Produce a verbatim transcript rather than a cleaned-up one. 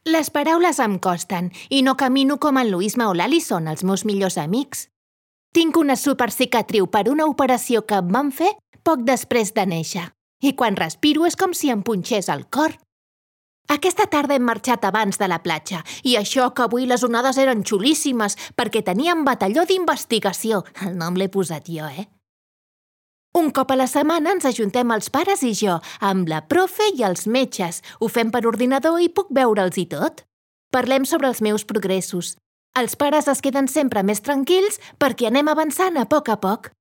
Les paraules em costen i no camino com en Luisma o l'Alison, els meus millors amics. Tinc una supercicatriu per una operació que em van fer poc després de néixer. I quan respiro és com si em punxés el cor. Aquesta tarda hem marxat abans de la platja i això que avui les onades eren xulíssimes perquè teníem batalló d'investigació. El nom l'he posat jo, eh? Un cop a la setmana ens ajuntem els pares i jo, amb la profe i els metges. Ho fem per ordinador i puc veure'ls i tot. Parlem sobre els meus progressos. Els pares es queden sempre més tranquils perquè anem avançant a poc a poc.